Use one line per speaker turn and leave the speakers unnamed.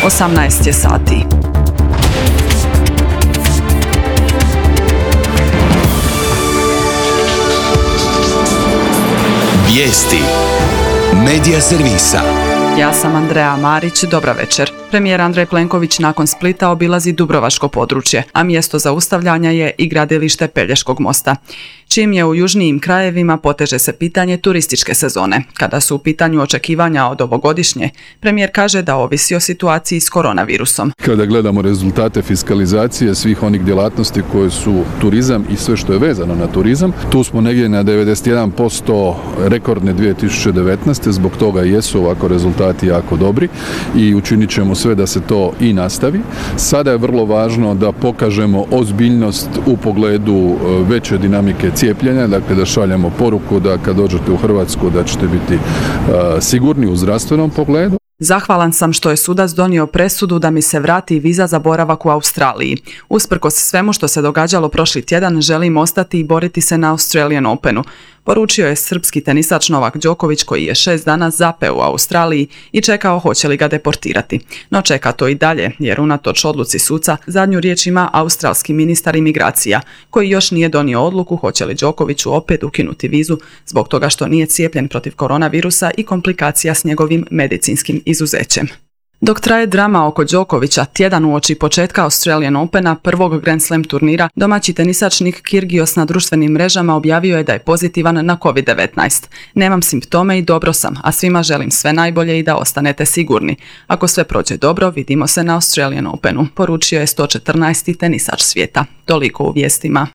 18 je sati.
Vijesti Medija servisa.
Ja sam Andreja Marić, dobra večer. Premijer Andrej Plenković nakon Splita obilazi dubrovačko područje, a mjesto zaustavljanja je i gradilište Pelješkog mosta. Čim je u južnijim krajevima poteže se pitanje turističke sezone. Kada su u pitanju očekivanja od ovogodišnje, premijer kaže da ovisi o situaciji s koronavirusom.
Kada gledamo rezultate fiskalizacije svih onih djelatnosti koje su turizam i sve što je vezano na turizam, tu smo negdje na 91% rekordne 2019. Zbog toga jesu ovako rezultati jako dobri i učinit ćemo sve da se to i nastavi. Sada je vrlo važno da pokažemo ozbiljnost u pogledu veće dinamike cijepljenja, dakle da šaljemo poruku da kad dođete u Hrvatsku da ćete biti sigurni u zdravstvenom pogledu.
Zahvalan sam što je sudac donio presudu da mi se vrati viza za boravak u Australiji. Usprkos svemu što se događalo prošli tjedan, želim ostati i boriti se na Australian Openu. Poručio je srpski tenisač Novak Đoković koji je 6 dana zapeo u Australiji i čekao hoće li ga deportirati. No čeka to i dalje jer unatoč odluci suca zadnju riječ ima australski ministar imigracija koji još nije donio odluku hoće li Đokoviću opet ukinuti vizu zbog toga što nije cijepljen protiv koronavirusa i komplikacija s njegovim medicinskim izuzećem. Dok traje drama oko Đokovića, tjedan uoči početka Australian Opena, prvog Grand Slam turnira, domaći tenisač Nick Kyrgios na društvenim mrežama objavio je da je pozitivan na COVID-19. Nemam simptome i dobro sam, a svima želim sve najbolje i da ostanete sigurni. Ako sve prođe dobro, vidimo se na Australian Openu, poručio je 114. tenisač svijeta. Toliko u vijestima.